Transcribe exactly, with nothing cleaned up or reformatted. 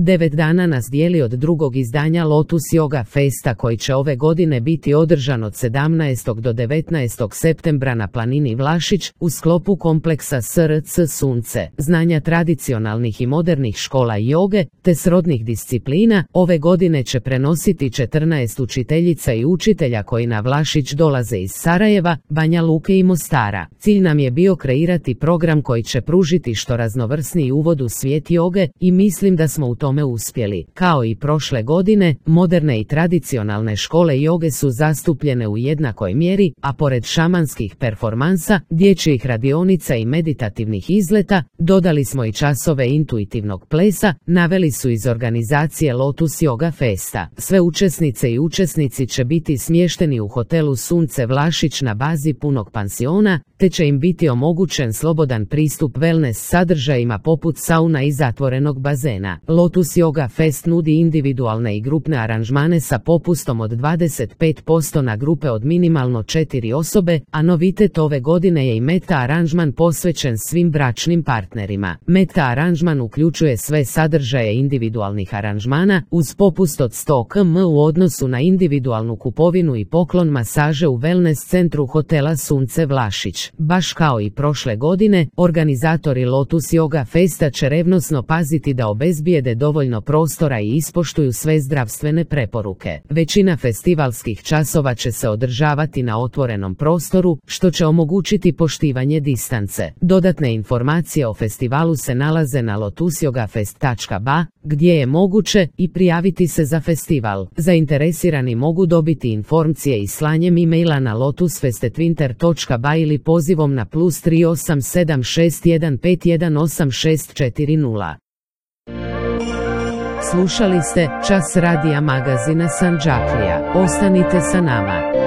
Devet dana nas dijeli od drugog izdanja Lotus Yoga Festa koji će ove godine biti održan od sedamnaestog do devetnaestog septembra na planini Vlašić u sklopu kompleksa S R C Sunce, znanja tradicionalnih i modernih škola joge te srodnih disciplina. Ove godine će prenositi četrnaest učiteljica i učitelja koji na Vlašić dolaze iz Sarajeva, Banja Luke i Mostara. Cilj nam je bio kreirati program koji će pružiti što raznovrsniji uvod u svijet joge i mislim da smo u tome uspjeli. Kao i prošle godine, moderne i tradicionalne škole joge su zastupljene u jednakoj mjeri, a pored šamanskih performansa, dječjih radionica i meditativnih izleta, dodali smo i časove intuitivnog plesa, naveli su iz organizacije Lotus Yoga Festa. Sve učesnice i učesnici će biti smješteni u hotelu Sunce Vlašić na bazi punog pansiona, te će im biti omogućen slobodan pristup wellness sadržajima poput sauna i zatvorenog bazena. Lotus Yoga Fest nudi individualne i grupne aranžmane sa popustom od dvadeset pet posto na grupe od minimalno četiri osobe, a novitet ove godine je i meta aranžman posvećen svim bračnim partnerima. Meta aranžman uključuje sve sadržaje individualnih aranžmana uz popust od sto kilometara u odnosu na individualnu kupovinu i poklon masaže u wellness centru hotela Sunce Vlašić. Baš kao i prošle godine, organizatori Lotus Yoga Festa će revnosno paziti da obezbijede dovoljno prostora i ispoštuju sve zdravstvene preporuke. Većina festivalskih časova će se održavati na otvorenom prostoru, što će omogućiti poštivanje distance. Dodatne informacije o festivalu se nalaze na lotusyogafest tačka ba, gdje je moguće i prijaviti se za festival. Zainteresirani mogu dobiti informacije i slanjem e-maila na lotusfestetwinter tačka ba ili pozivom na plus tri osam sedam šest jedan pet jedan osam šest četiri nula. Slušali ste Čas radija magazina Sandžaklija. Ostanite sa nama.